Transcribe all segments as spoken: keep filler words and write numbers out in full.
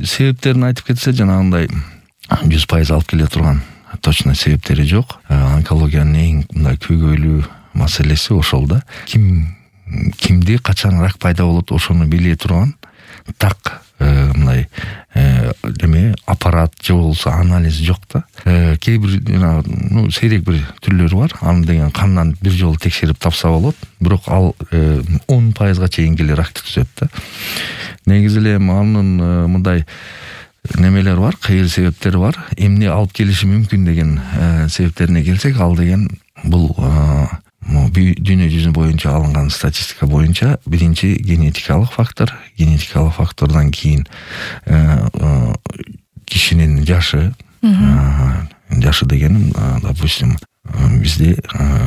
себептерин айтып кетсе жанагындай жүз пайыз алып келе турган точно себептери жок. Онкологиянын эң мындай көйгөйлүү маселеси ошол да. Ким кимди качан рак пайда болот ошону биле турган так мындай эме аппарат же болбосо анализ жок да. Кээ бир жана ну сейрек бир түрлөрү бар. Аны деген кандан бир жолу текшерип тапса болот, бирок ал он пайызга чейин келе ракты түзөт да. Негизи эле анын мындай немелер бар, кыйыр себептери бар. Эмне алып келиши мүмкүн деген себептерине келсек, ал деген бул дүйнө жүзү боюнча алынган статистика боюнча биринчи генетикалык фактор, генетикалык фактордон кийин кишинин жашы, жашы дегеним, допустим, бизде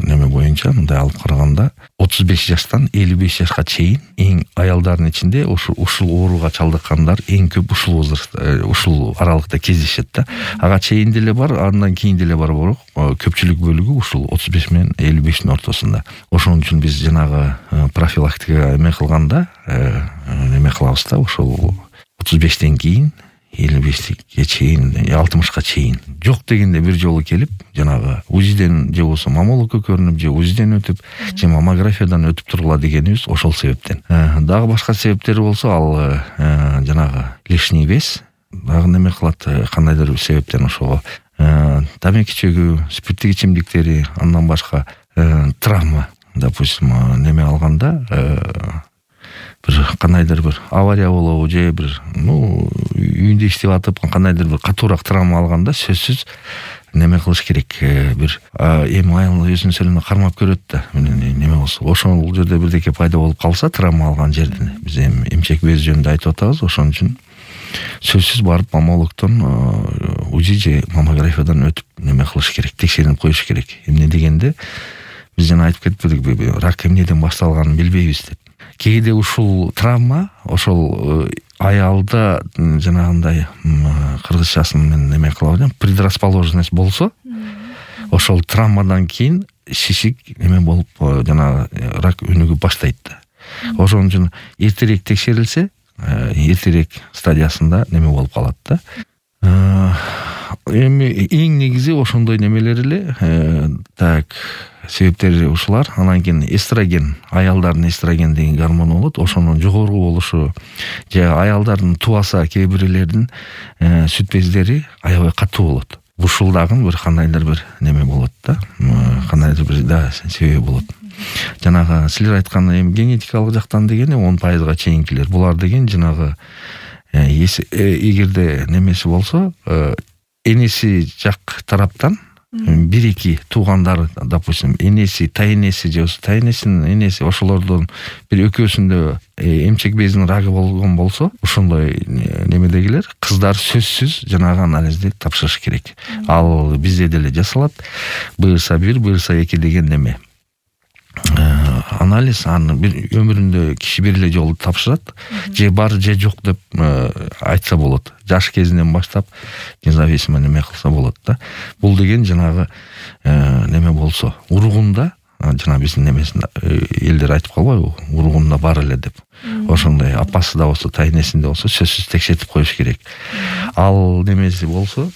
неме боюнча мындай алып караганда отуз беш жаштан элүү беш жашка чейин эң аялдардын ичинде ушул ушул ооруга чалдыккандар эң көп ушул возраст, ушул аралыкта кездешет да. Ага чейин деле бар, андан кийин деле бар, бирок көпчүлүк бөлүгү ушул отуз беш менен элүү бештин ортосунда. Ошон үчүн биз жанагы профилактика эме кылганда неме кылабыз да, ушул отуз бештен кийин элүү бешке чейин, алтымышка чейин жок дегенде бир жолу келип, жанагы УЗИден же болбосо маммологко көрүнүп, же УЗИден өтүп, же маммографиядан өтүп тургула дегенибиз ошол себептен. Дагы башка себептери болсо, ал жанагы лишний вес дагы неме кылат, кандайдыр бир себептен ошого тамеки чөгүү, спирттик ичимдиктери, андан башка травма, допустим, неме алганда бир кандайдыр бир авария болобу, же бир ну үйүндө иштеп атып кандайдыр бир катуураак травма алганда сөзсүз неме кылыш керек, бир эми айыл өзүнүн сөлүнө кармап көрөт да, неме болсо ошол жерде бирдеке пайда болуп калса, травма алган жерден биз эми эмчек без жөнүндө айтып атабыз. Ошон үчүн сөзсүз барып маммологдон, УЗИ же маммографиядан өтүп неме кылыш керек, текшерип коюш керек. Эмне дегенде биз жана айтып кетпедикпи, рак эмнеден башталганын билбейбиз деп. Кээде ушул травма ошол аялда жанагындай кыргызчасы менен неме кылабыз, предрасположенность болсо, ошол травмадан кийин шишик неме болуп жана рак өнүгүп баштайт да. Ошон үчүн эртерээк текшерилсе, эртерээк стадиясында неме болуп калат да. Эми эң негизи ошондой немелер эле. Так, себептери ушулар. Анан кийин эстроген, аялдардын эстроген деген гормон болот, ошонун жогору болушу, же аялдардын тубаса кээ бирлердин сүт бездери аябай катуу болот. Ушул дагы бир кандайдыр бир неме болот да, кандайдыр бир да себеби болот. Жанагы силер айткан эми генетикалык жактан деген он пайызга чейинкилер. Булар деген жанагы эгерде немеси болсо, энеси жак тараптан бир-эки туугандары, допустим, энеси, тайнеси же тайнесинин энеси, ошолордон бир экөөсүндө эмчек безинин рагы болгон болсо, ошондой немедегилер кыздар сөзсүз жанагы анализди тапшырыш керек. Ал бизде деле жасалат. бэ эр эс бир, бэ эр эс эки деген неме анализ, аны бир өмүрүндө киши бир эле жолу тапшырат, же бар же жок деп айтса болот. Жаш кезинен баштап независимо неме кылса болот да. Бул деген жанагы неме болсо, уругунда, жана биздин немесинде элдер айтып калбайбы, уругунда бар эле деп. Ошондой апасы да болсо, тайнесинде болсо сөзсүз текшертип коюш керек. Ал немеси болсо,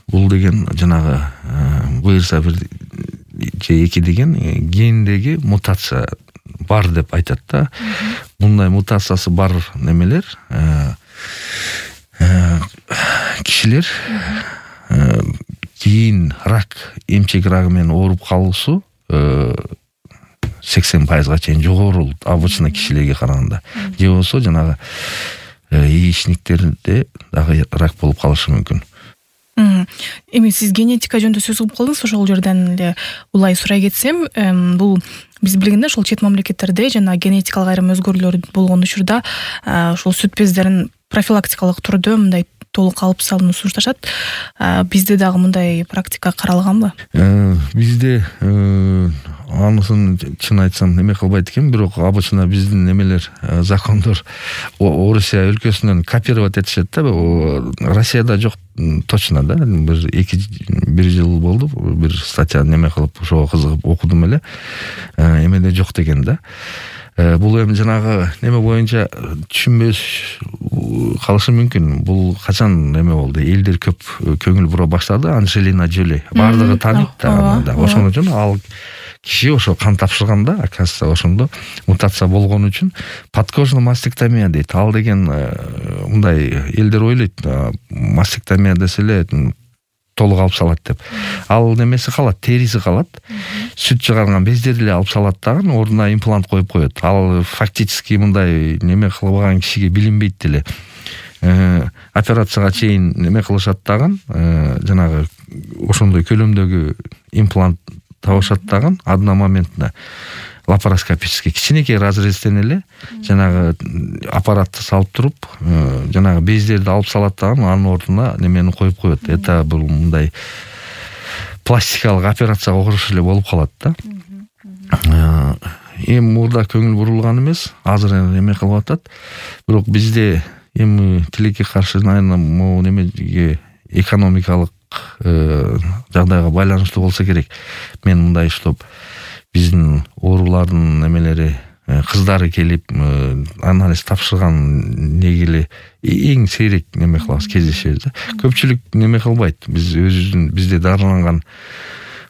бул деген жанагы бэ эр эс бир же эки деген гендеги мутация бар деп айтат да. Мындай мутациясы бар немелер, кишилер кийин рак, эмчек рагы менен ооруп калуусу сексен пайызга чейин жогору обычно кишилерге караганда. Же болсо жанагы яичниктерде дагы рак болуп калышы мүмкүн. Эми сиз генетика жөнүндө сөз кылып калдыңыз, ошол жерден эле улай сурай кетсем, бул биз билгенде ошол чет мамлекеттерде жана генетикалык айрым өзгөрүүлөр болгон учурда ошол сүт бездерин профилактикалык түрдө мындай толук алып салууну сунушташат. Бизде дагы мындай практика каралганбы? Бизде анысын чын айтсам неме кылбайт экен, бирок обычно биздин немелер, закондор Орусия өлкөсүнөн копировать этишет да. Россияда жок точно да. Бир эки бир жыл болду, бир статья неме кылып, ошого кызыгып окудум эле. Эмеде жок деген да. бул эми жанагы неме боюнча түшүнбөс калышы мүмкүн. Бул качан неме болду? Элдер көп көңүл бура баштады. Анжелина Джоли бардыгы тааныйт да. Ошон үчүн ал киши ошо кан тапшырганда, оказывается, ошондо мутация болгон үчүн подкожный мастектомия дейт. Ал деген мындай элдер ойлойт, мастектомия десе эле толук алып салат деп. Ал немеси калат, териси калат. Сүт чыгарган бездерди эле алып салат дагы, ордуна имплант коюп коет. Ал фактически мындай неме кылбаган кишиге билинбейт деле. Операцияга чейин неме кылышат дагы, жанагы ошондой көлөмдөгү имплант табышат дагы, одна моментна лапароскопический кичинекей разрезтен эле жанагы аппаратты салып туруп, жанагы бездерди алып салат дагы, анын ордуна немени коюп коет. Это бул мындай пластикалык операцияга окшош эле болуп калат да. Эми мурда көңүл бурулган эмес, азыр эме кылып атат. Бирок бизде эми тилекке каршы, наверное, могу немеге экономикалык жагдайга байланыштуу болсо керек. Мен мындай иштеп, биздин оорулардын немелери, кыздары келип анализ тапшырган негили эң сейрек неме кылабыз, кездешебиз да. Көпчүлүк неме кылбайт. Биз өзүбүздүн бизде дарыланган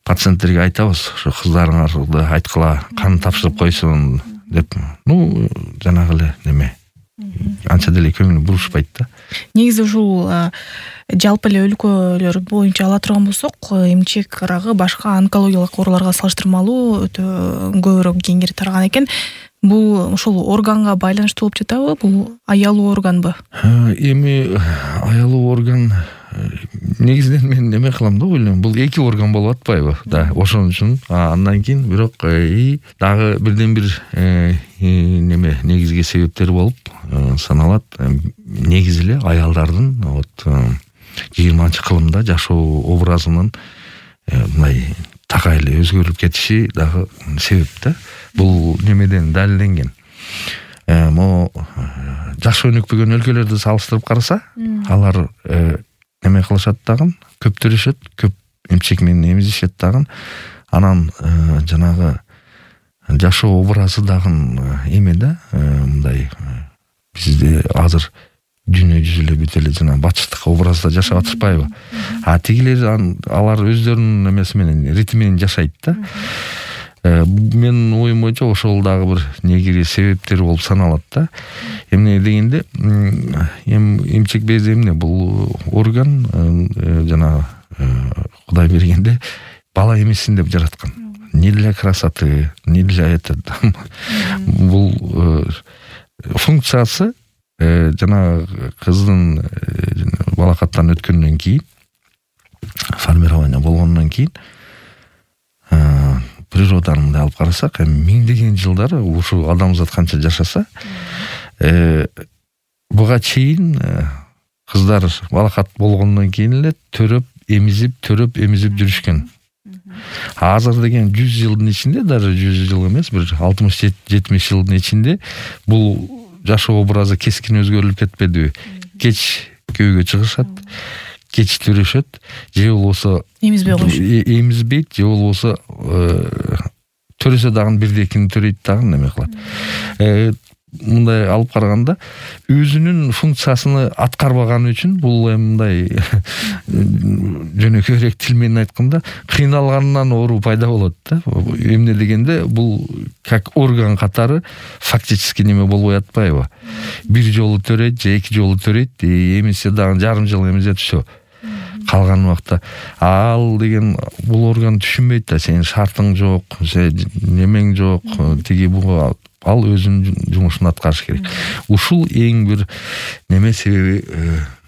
пациенттерге айтабыз, ошо кыздарыңарды айткыла, кан тапшырып койсун деп. Ну, жанагы эле неме. Анча деле көңүл бурушпайт да. Негизи ушул жалпы эле өлкөлөр боюнча ала турган болсок, эмчек рагы башка онкологиялык ооруларга салыштырмалуу өтө көбүрөөк кеңири тараган экен. Бул ошол органга байланыштуу болуп жатабы? Бул аялуу органбы? Эми аялуу орган негизинен мен неме кылам да, ойлойм. Бул эки орган болуп атпайбы? Да, ошон үчүн андан кийин бирок дагы бирден бир неме негизги себептер болуп саналат. Негизи эле аялдардын вот жыйырманчы кылымда жашоо образынын мындай такай эле өзгөрүп кетиши дагы себеп да. Бул немеден далилденген. Мо жаш өнүкпөгөн өлкөлөрдү салыштырып караса, алар неме кылышат дагы, көптөрүшөт, көп эмчек менен эмизишет дагы. Анан жанагы жашоо образы дагы эме да, мындай бизде азыр дүйнө жүзү эле бүт эле жана бачыштык образда жашап атышпайбы? А тигилер алар өздөрүнүн эмеси менен, ритми менен жашайт да. Мен оюм боюнча ошол дагы бир негизи себептер болуп саналат да. Эмне дегенде, эмчек бези эмне? Бул орган жана Кудай бергенде бала эмесин деп жараткан. Не для красоты, не для этого. Бул функциясы жана кыздын балакаттан өткөндөн кийин, формирование болгондон кийин, природаны мындай алып карасак, миңдеген жылдар ушу адамзат канча жашаса, буга чейин кыздар балакат болгондон кийин эле төрөп, эмизип, төрөп, эмизип жүрүшкөн. Азыр деген жүз жылдын ичинде, даже жүз жыл эмес, бир алтымыш жетимиш жылдын ичинде бул жашоо образы кескин өзгөрүлүп кетпедиби? Кеч күйөөгө чыгышат, кеч төрөшөт, же болбосо эмизбей коюшат. Эмизбейт, же болбосо төрөсө дагы бирдекини төрөйт дагы неме кылат. Мындай алып караганда өзүнүн функциясын аткарбаган үчүн бул мындай жөнөкөйрөөк тил менен айтканда кыйналганынан оору пайда болот да. Эмне дегенде бул как орган катары фактически неме болбой атпайбы? Бир жолу төрөйт же эки жолу төрөйт, эмисе дагы жарым жыл эмизет, все. Калган убакта ал деген бул орган түшүнбөйт да, сенин шартың жок, немең жок, тиги буга ал өзүнүн жумушун аткарыш керек. Ушул эң бир неме себеби,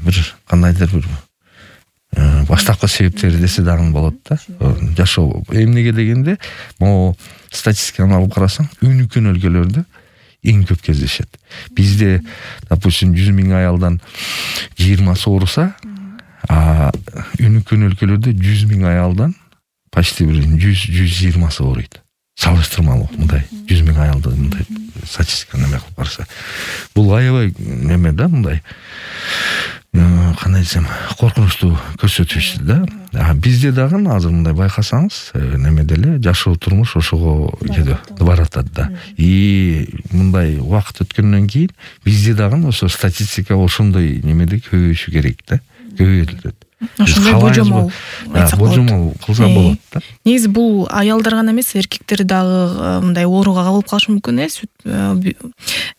бир кандайдыр бир баштапкы себептери десе дагы болот да. Жашоо эмнеге дегенде, могу статистиканы алып карасаң, өнүккөн өлкөлөрдө эң көп кездешет. Бизде, допустим, жүз миң аялдан жыйырмасы ооруса, а өнүккөн өлкөлөрдө жүз миң аялдан почти бир жүз жүз жыйырмасы ооруйт. Салыштырмалуу мындай жүз миң аялды мындай статистика неме кылып караса. Бул аябай неме да, мындай кандай десем, коркунучтуу көрсөтүштү да. Бизде дагы азыр мындай байкасаңыз, неме деле жашоо турмуш ошого баратат да. И мындай убакыт өткөндөн кийин бизде дагы ошо статистика ошондой немеде көбөйүшү керек да. Көбөйүлөт. Ошондой божомол айтсак болот. Божомол кылса болот да. Негизи бул аялдар гана эмес, эркектер дагы мындай ооруга кабылып калышы мүмкүн э, сүт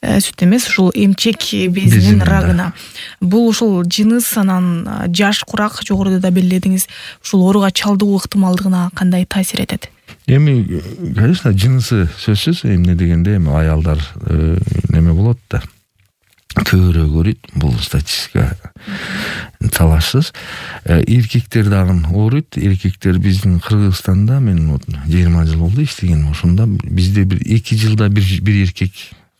сүт эмес, ушул эмчек безинин рагына. Бул ушул жыныс, анан жаш курак жогоруда да белгиледиңиз. Ушул ооруга чалдыгуу ыктымалдыгына кандай таасир этет? Эми, конечно, жынысы сөзсүз, эмне дегенде эми аялдар неме болот да. Көбүрөөк ооруйт, бул статистика талашсыз. Эркектер дагы ооруйт. Эркектер биздин Кыргызстанда, мен жыйырма жыл болду иштегеним ошондо, бизде бир эки жылда бир бир эркек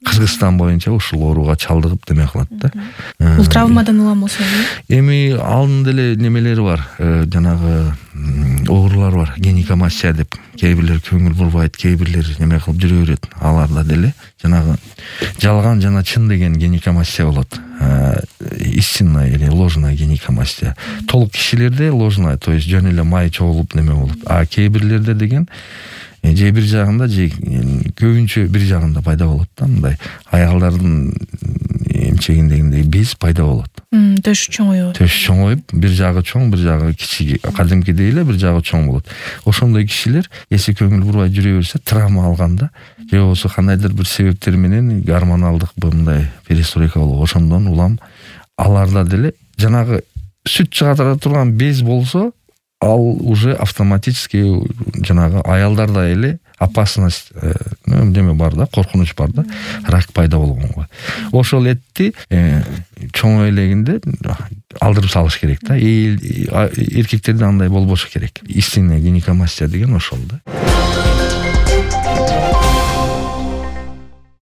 Кыргызстан боюнча ушул ооруга чалдыгып деме кылат да. Бул травмадан улам болсо эми анын деле немелери бар, жанагы оорулар бар, гинекомастия деп. Кээ бирлер көңүл бурбайт, кээ бирлер неме кылып жүрө берет. Аларда деле жанагы жалган жана чын деген гинекомастия болот. Истинная или ложная гинекомастия. Толук кишилерде ложная, то есть жөн эле май чогулуп неме болот. А кээ бирлерде деген же бир жагында, же көбүнчө бир жагында пайда болот да, мындай аялдардын эмчегиндегиндей без пайда болот. Төш чоңоёбу? Төш чоңоюп, бир жагы чоң, бир жагы кичик, кадимкидей эле бир жагы чоң болот. Ошондой кишилер эси көңүл бурбай жүрө берсе, травма алганда, же болбосо кандайдыр бир себептер менен гормоналдык мындай перестройка болуп, ошондон улам аларда деле жанагы сүт чыгара турган без болсо, ал уже автоматически жанагы аялдарда эле опасность неме бар да, коркунуч бар да, рак пайда болгонго. Ошол этти чоң элегинде алдырып салыш керек да. Эркектерде андай болбошу керек. Истинная гинекомастия деген ошол да.